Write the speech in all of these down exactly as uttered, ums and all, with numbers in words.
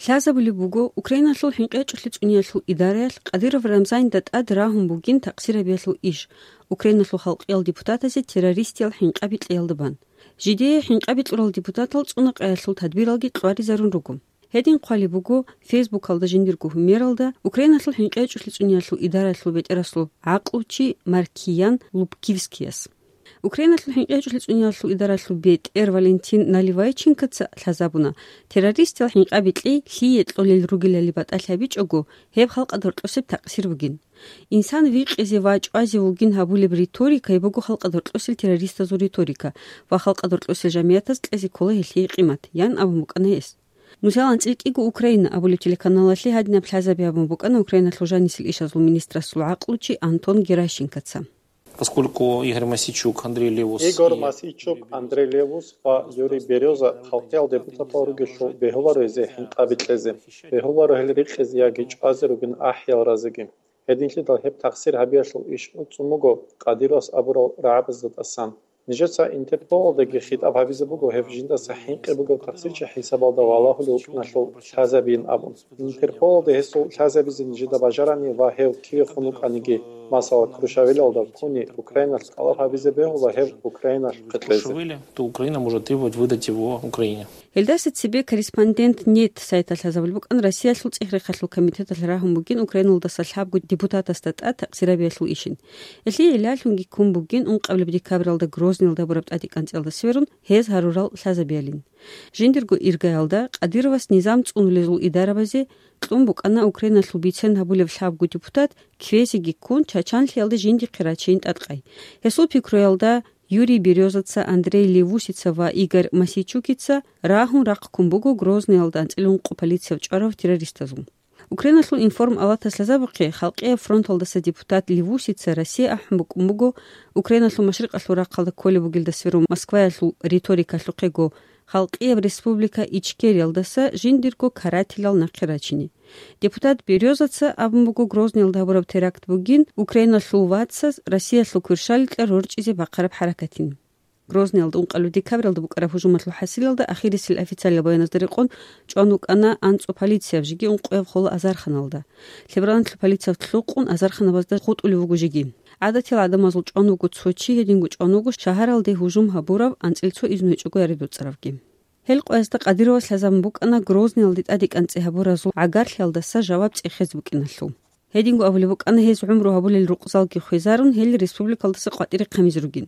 Лъазабулеб буго, Украиналъул хӀинкъи гьечӀолъи цӀуниялъул идараялъ Кадыров Рамзанилда тӀад рагьун бугин такъсир гьабиялъул иш, Украиналъул халкъиял депутатазе террористиял хӀинкъаби кьеялда бан. Жидее хӀинкъаби кьурал депутатал цӀунакъаялъул тадбиралги кьваризарун руго. Гьедин хъвалеб буго Фейсбукалда жиндирго гьумералда Украиналъул хӀинкъи гьечӀолъи цӀуниялъул идараялъул бетӀерасул гӀакълучи Маркиян Лубкивскияс. Украиналъул хӀинкъи гьечӀолъи цӀуниялъул идараялъул бетӀер Валентин Наливайченкоца лъазабуна, террористиял хӀинкъаби кьей лъие кьолел ругелали батӀалъи гьабичӀого, гьеб халкъалда гьоркьосеб такъсир бугин. Инсан викъизе ва чӀвазе вугин гьабулеб риторика гьеб буго халкъалда гьоркьосел террористазул риторика ва халкъалда гьоркьосел жамиятаз кьезе ккола гьелъие къимат, ян абун букӀана гьес. Нусал анцӀила кӀиго Украина абулеб телеканалалъе гьадинаб лъазаби гьабун букӀана Украиналъул жанисел ишазул министрасул гӀакълучи Антон Геращенкоца. Поскольку Игорь Мосийчук, Андрей Левус Игорь и Мосийчук, Юрий Берёза Андрей Левус ва Юрий Берёза халкъиял депутатал ругелъул бегьуларо гьезие хӀинкъаби кьезе. Бегьуларо гьел рикъизе яги чӀвазе ругин ахӀиял разиги. Гьединлъидал гьеб такъсир гьабиялъул иш уцӀцӀун буго Кадыровас абурал рагӀабазда тӀасан. Нижеца Интерполалдаги хитӀаб гьабизе буго гьев жиндаса хӀинкъи бугев такъсирчи хӀисабалда валагьулев вукӀиналъул лъазабийин абун. Интерполалда гьесул лъазабизе нижеда бажарани ва гьев кивехун вукӀаниги, масала, Крушавелалда ккуни Украиналъ тӀалаб гьабизе бегьула гьев Украиналъухъе кьезе. Крушавели, то Украина может требовать выдать его Украине. Гьелдаса цебе Корреспондент нет сайталъ лъазабулеб букӀан Россиялъул ЦӀехи Рехалъул комитеталъ рагьун бугин Украиналдаса лъабго депутатасда тӀад такъсир гьабиялъул ишин. Гьелъие гӀиллалъунги ккун бугин ункъабилеб декабралда Грозныйалда гьабураб тӀадекӀанцӀиялда сверун гьез гьарурал лъазабиялин. Жиндирго иргаялда Кадыровас низам цӀунулезул идарабазе кьун букӀана Украиналъул бицен гьабулеб лъабго депутат, кквезеги ккун, Чачанлъиялда жиндихъе рачейин тӀадкъай. Гьесул пикруялда, Юрий Берёзаца, Андрей Левусица ва Игорь Мосийчукица рагьун рахъ ккун буго Грозныйалда анцӀила ункъо полицияв чӀварав террористазул. Украиналъул информалатас лъазабухъе, Халкъияб фронталдаса депутат Левусица Россия ахӀун букӀун буго Украиналъул машрикъалъул рахъалда кколеб бугелда сверун Москваялъул риторикалъухъего Халкъияб Республика Ичкериялдаса жиндирго карателял нахъе рачине. Депутат Берёзаца абун буго Грозныйалда гьабураб теракт бугин Украиналъул вацаз Россиялъул кверщаликьа рорчӀизе бахъараб хӀаракатин. Грозныйалда ункъабилеб декабралда букӀараб гьужумалъул хӀасилалда ахирисел официалил баяназда рекъон чӀван вукӀана анцӀго полицияб жеги ункъояб хола азарханалда. Лъебраналъул полициялъ лъукъун азарханабазда хутӀулев вуго жеги. ГӀадатиял гӀадамазул чӀван вуго цо чи, гьединго чӀван вуго шагьаралде гьужум гьабурав анцӀила цо изну гьечӀого яре доцӀаравги. Гьел къоязда Кадыровас лъазабун букӀана Грозныйалде тӀадекӀанцӀи гьабуразул гӀагарлъиялдаса жаваб цӀехезе букӀиналъул. Гьединго абулеб букӀана гьез гӀумру гьабулел рукъзалги хвезарун, гьел республикалдаса къватӀире хъамизе ругин.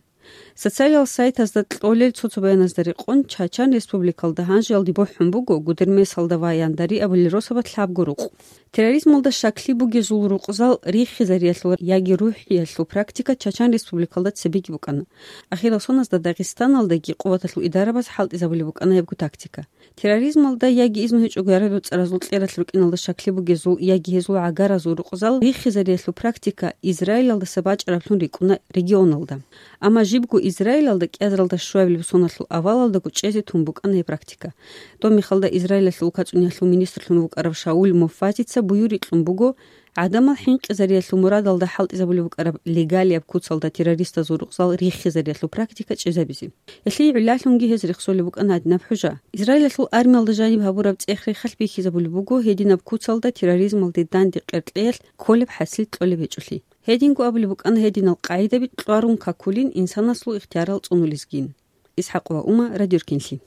Социалиял сайтазда кьолел цо-цо баяназда рекъон, Чачан Республикалда гьанжеялде бухӀун буго Гудермесалда ва Яндари абулел росабалъ лъабго рукъ. Терроризмалда щаклъи бугезул рукъзал риххизариялъул яги рухӀиялъул практика Чачан Республикалда цебеги букӀана. Ахирал соназда Дагъистаналдаги къуваталъул идарабаз хӀалтӀизабулеб букӀана гьебго тактика. Терроризмалда яги изну гьечӀого яре доцӀаразул кьералъ рукӀиналда щаклъи бугезул яги гьезул гӀагаразул рукъзал риххизариялъул практика Израилалдаса бачӀараблъун рикӀкӀуна регионалда. Амма жибго Израилалда кӀиазаралда щуабилеб соналъул авалалдаго чӀезе тун букӀана гьеб практика. Доб мехалда Израилалъул улкацӀуниялъул министрлъун вукӀарав Шауль Моффатица буюрикьун буго, гӀадамал хӀинкъизариялъул мурадалда хӀалтӀизабулеб букӀараб легалияб куцалда террористазул рукъзал риххизариялъул практика чӀезабизе. Гьелъие гӀиллалъунги гьез рехсолеб букӀана гьадинаб хӀужа. Израилалъул армиялда жаниб гьабураб цӀех-рехалъ бихьизабулеб буго гьединаб куцалда терроризмалде данде къеркьеялъ кколеб хӀасил кьолеб гьечӀолъи. Гьединго абулеб букӀана гьединал къагӀидаби кьварун какулин инсанасул ихтиярал цӀунулезгин. ИсхӀакъ ва Ума, Радиоркинлъи.